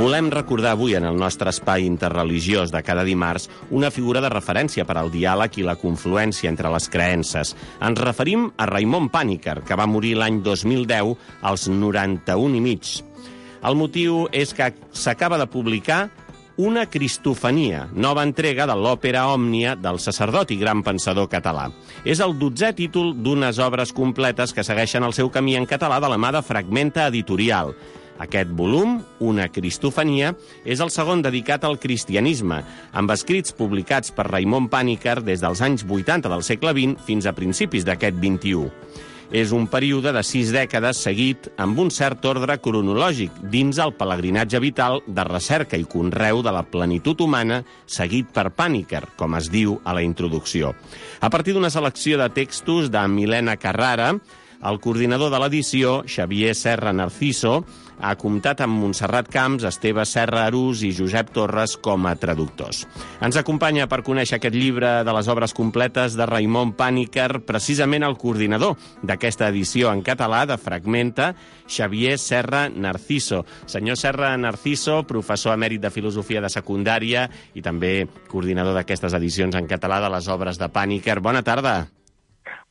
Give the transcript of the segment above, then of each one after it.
Volem recordar avui en el nostre espai interreligiós de cada dimarts una figura de referència per al diàleg i la confluència entre les creences. Ens referim a Raimon Panikkar, que va morir l'any 2010 als 91 i mig. El motiu és que s'acaba de publicar Una Cristofania, nova entrega de l'òpera Òmnia del sacerdot i gran pensador català. És el 12è títol d'unes obres completes que segueixen el seu camí en català de la mà de Fragmenta Editorial. Aquest volum, Una Cristofania, és el segon dedicat al cristianisme, amb escrits publicats per Raimon Panikkar des dels anys 80 del segle XX fins a principis d'aquest 21. És un període de 6 dècades seguit amb un cert ordre cronològic dins el pelegrinatge vital de recerca i conreu de la plenitud humana seguit per Panikkar, com es diu a la introducció. A partir d'una selecció de textos de Milena Carrara, el coordinador de l'edició, Xavier Serra Narciso, ha comptat amb Montserrat Camps, Esteve Serra Arús i Josep Torres com a traductors. Ens acompanya per conèixer aquest llibre de les obres completes de Raimon Panikkar, precisament el coordinador d'aquesta edició en català de Fragmenta, Xavier Serra Narciso. Senyor Serra Narciso, professor emèrit de Filosofia de Secundària i també coordinador d'aquestes edicions en català de les obres de Panikkar. Bona tarda.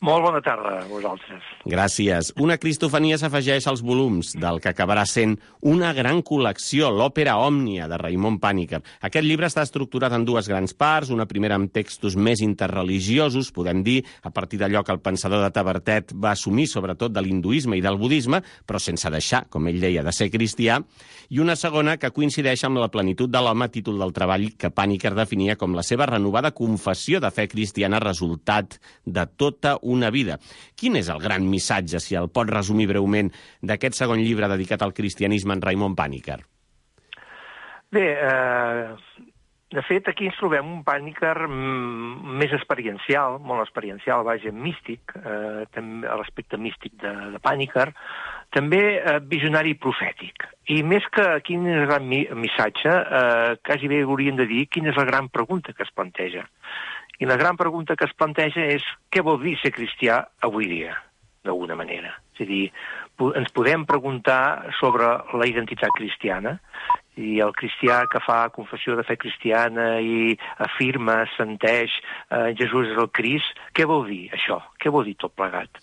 Molt bona tarda a vosaltres. Gràcies. Una Cristofania s'afegeix als volums del que acabarà sent una gran col·lecció, l'òpera Òmnia de Raimon Panikkar. Aquest llibre està estructurat en dues grans parts, una primera amb textos més interreligiosos, podem dir, a partir d'allò que el pensador de Tavertet va assumir, sobretot de l'hinduisme i del budisme, però sense deixar, com ell deia, de ser cristià, i una segona que coincideix amb la plenitud de l'home, títol del treball que Panikkar definia com la seva renovada confessió de fe cristiana resultat de tota una vida. Quin és el gran missatge, si el pot resumir breument, d'aquest segon llibre dedicat al cristianisme en Raimon Panikkar? Bé, de fet, aquí ens trobem un Panikkar més experiencial, molt experiencial, vaja, místic, també l'aspecte místic de Panikkar, també visionari i profètic. I més que quin és el gran missatge, quasi bé hauríem de dir quina és la gran pregunta que es planteja. I la gran pregunta que es planteja és què vol dir ser cristià avui dia, d'alguna manera. És a dir, ens podem preguntar sobre la identitat cristiana, i el cristià que fa confessió de fe cristiana i afirma, senteix Jesús és el Crist, què vol dir això? Què vol dir tot plegat?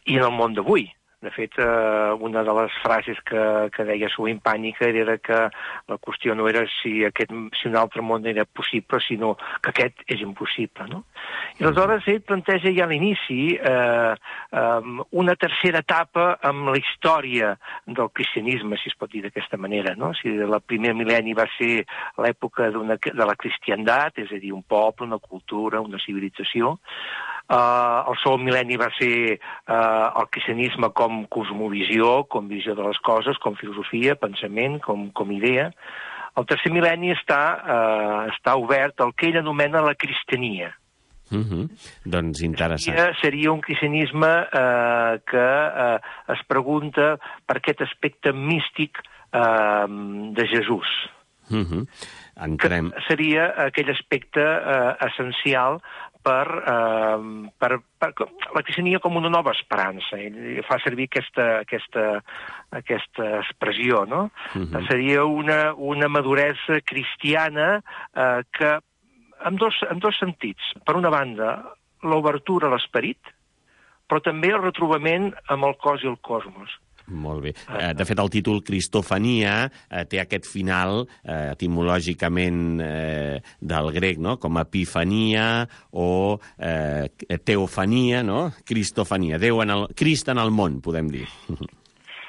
I en el món d'avui, de fet, una de les frases que deia sovint Panikkar era que la qüestió no era si un altre món era possible, sinó que aquest és impossible, no? I aleshores ell planteja ja a l'inici una tercera etapa amb la història del cristianisme, si es pot dir d'aquesta manera, no? Si el primer mil·lenni va ser l'època de la cristiandat, és a dir, un poble, una cultura, una civilització. El segon mil·lenni va ser el cristianisme com cosmovisió, com visió de les coses, com filosofia, pensament, com idea. El tercer mil·lenni està obert al que ell anomena la cristiania. Doncs interessant. Seria un cristianisme que es pregunta per aquest aspecte místic de Jesús. Entrem. Que seria aquell aspecte essencial per la cristiania com una nova esperança. Ell fa servir aquesta expressió, no? Seria una maduresa cristiana que amb dos sentits. Per una banda, l'obertura a l'esperit, però també el retrobament amb el cos i el cosmos. Molt bé. De fet, el títol Cristofania té aquest final etimològicament del grec, no? Com epifania o teofania, no? Cristofania. Crist en el món, podem dir.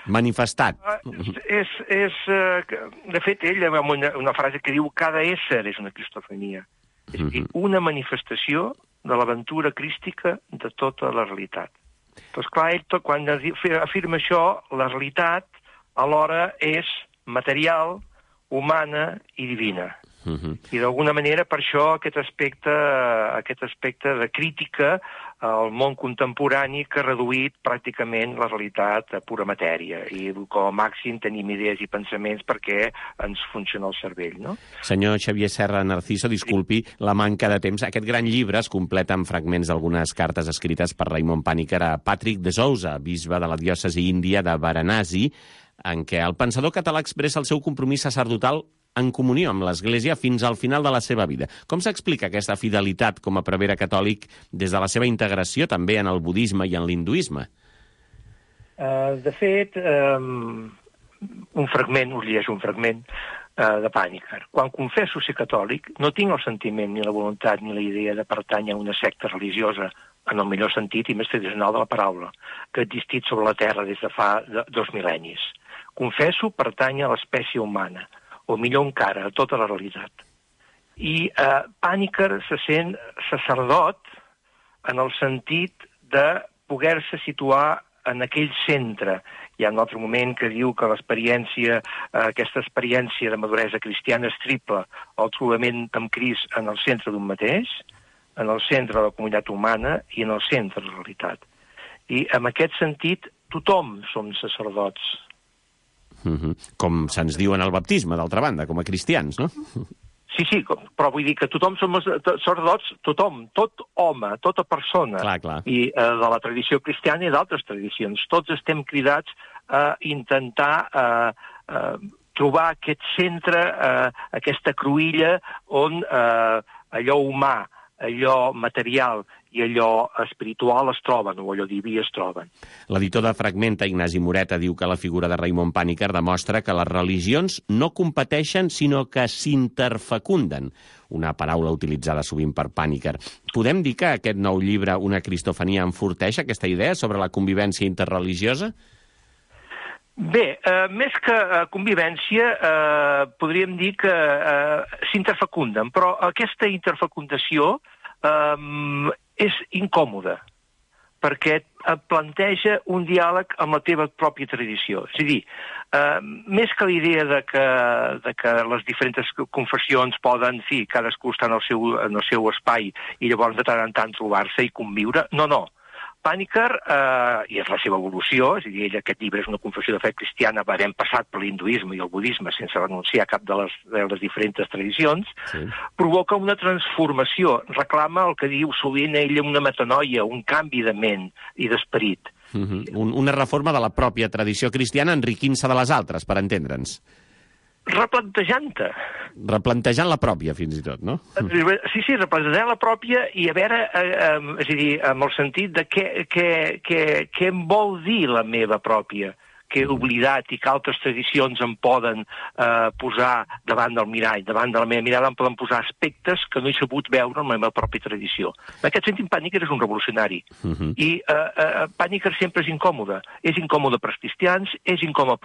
Manifestat. De fet, ell amb una frase que diu cada ésser és una cristofania. És a dir, una manifestació de l'aventura crística de tota la realitat. Doncs clar, ell, quan afirma això, la realitat alhora és material, humana i divina. I d'alguna manera per això aquest aspecte de crítica al món contemporani que ha reduït pràcticament la realitat a pura matèria i com a màxim tenim idees i pensaments perquè ens funciona el cervell, no? Senyor Xavier Serra Narciso, disculpi la manca de temps. Aquest gran llibre es completa amb fragments d'algunes cartes escrites per Raimon Panikkar a Patrick de Souza, bisbe de la diòcesi índia de Varanasi, en què el pensador català expressa el seu compromís sacerdotal en comunió amb l'Església fins al final de la seva vida. Com s'explica aquesta fidelitat com a prevere catòlic des de la seva integració també en el budisme i en l'hinduisme? De fet, us llegeixo un fragment de Pàniker. Quan confesso ser catòlic, no tinc el sentiment, ni la voluntat, ni la idea de pertànyer a una secta religiosa, en el millor sentit i més tradicional de la paraula, que ha existit sobre la Terra des de fa 2 mil·lennis. Confesso pertànyer a l'espècie humana, o millor encara, a tota la realitat. I Pàniker se sent sacerdot en el sentit de poder-se situar en aquell centre. Hi ha un altre moment que diu que l'experiència, aquesta experiència de maduresa cristiana és triple, el trobament amb Crist en el centre d'un mateix, en el centre de la comunitat humana i en el centre de la realitat. I en aquest sentit, tothom som sacerdots. Com se'ns diu en el baptisme, d'altra banda, com a cristians, no? Sí, però vull dir que tothom som sacerdots, tothom, tot home, tota persona. Clar. I de la tradició cristiana i d'altres tradicions. Tots estem cridats a intentar trobar aquest centre, aquesta cruïlla on allò humà, allò material i allò espiritual es troben, o allò diví es troben. L'editor de Fragmenta, Ignasi Moreta, diu que la figura de Raimon Pàniker demostra que les religions no competeixen, sinó que s'interfecunden, una paraula utilitzada sovint per Pàniker. Podem dir que aquest nou llibre, Una cristofania, enforteix aquesta idea sobre la convivència interreligiosa? Bé, més que convivència, podríem dir que s'interfecunden, però aquesta interfecundació és incòmoda, perquè et planteja un diàleg amb la teva pròpia tradició. És a dir, més que la idea de que les diferents confessions poden, sí, cadascú està en el seu espai i llavors de tant en tant trobar-se i conviure, no. Pàniker, i és la seva evolució, és a dir, aquest llibre és una confessió de fe cristiana, havent passat per l'hinduisme i el budisme sense renunciar a cap de les diferents tradicions, sí. Provoca una transformació, reclama el que diu sovint ell una metanoia, un canvi de ment i d'esperit. Una reforma de la pròpia tradició cristiana enriquint-se de les altres, per entendre'ns. Replantejant-te. Replantejant la pròpia, fins i tot, no? Sí, replantejant la pròpia i a veure, és a dir, amb el sentit de què em vol dir la meva pròpia, que he oblidat i que altres tradicions em poden posar davant del mirall, davant de la meva mirada em poden posar aspectes que no he sabut veure en la meva pròpia tradició. En aquest sentit, Pàniker és un revolucionari. I Pàniker sempre és incòmode. És incòmode pels cristians, és incòmode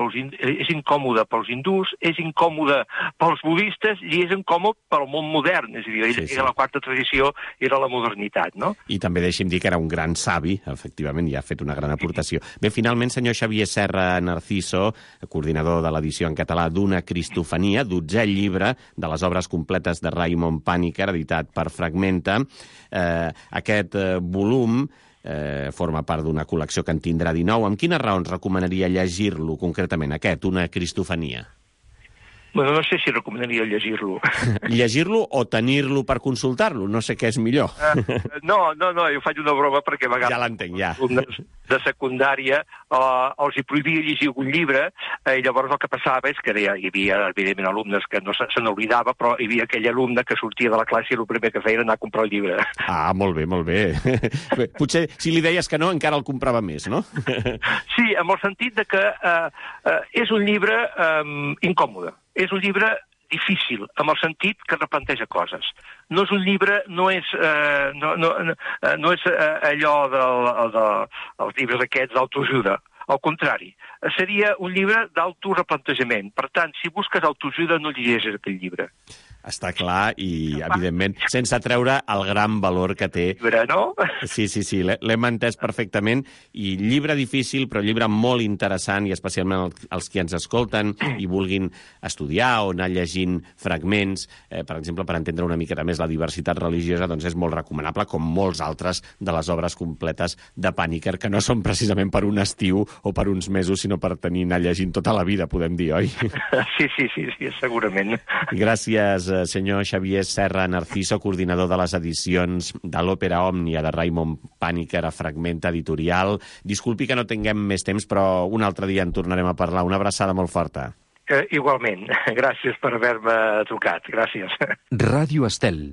pels hindús, és incòmode pels budistes i és incòmode pel món modern. És a dir, era la quarta tradició, era la modernitat, no? I també deixi'm dir que era un gran savi, efectivament, i ha fet una gran aportació. Bé, finalment, senyor Xavier Serra Narciso, coordinador de l'edició en català d'Una cristofania, 12è llibre de les obres completes de Raimon Pàniker, editat per Fragmenta. Aquest volum forma part d'una col·lecció que en tindrà 19. Amb quines raons recomanaria llegir-lo concretament, aquest, Una cristofania? Bueno, no sé si recomanaria llegir-lo. Llegir-lo o tenir-lo per consultar-lo? No sé què és millor. No, jo faig una broma perquè a vegades... Ja l'entenc, ja. De secundària els hi prohibia llegir algun llibre i llavors el que passava és que hi havia, evidentment, alumnes que no se n'oblidava, però hi havia aquell alumne que sortia de la classe i el primer que feia era anar a comprar el llibre. Ah, molt bé. Potser si li deies que no, encara el comprava més, no? Sí, amb el sentit de que és un llibre incòmode. És un llibre difícil, amb el sentit que replanteja coses. No és un llibre, no és allò dels llibres aquests d'autoajuda. Al contrari, seria un llibre d'autoreplantejament. Per tant, si busques autoajuda, no llegeixes aquest llibre. Està clar i, evidentment, sense treure el gran valor que té. Llibre, no? Sí, l'hem entès perfectament. I llibre difícil, però llibre molt interessant, i especialment els que ens escolten i vulguin estudiar o anar llegint fragments, per exemple, per entendre una miqueta més la diversitat religiosa, doncs és molt recomanable, com molts altres de les obres completes de Pàniker, que no són precisament per un estiu o per uns mesos, sinó per anar llegint tota la vida, podem dir, oi? Sí, segurament. Gràcies, senyor Xavier Serra Narciso, coordinador de les edicions de l'Òpera Òmnia de Raimon Paniker a Fragment Editorial. Disculpi que no tinguem més temps, però un altre dia en tornarem a parlar. Una abraçada molt forta. Igualment. Gràcies per haver-me trucat. Gràcies. Ràdio Estel.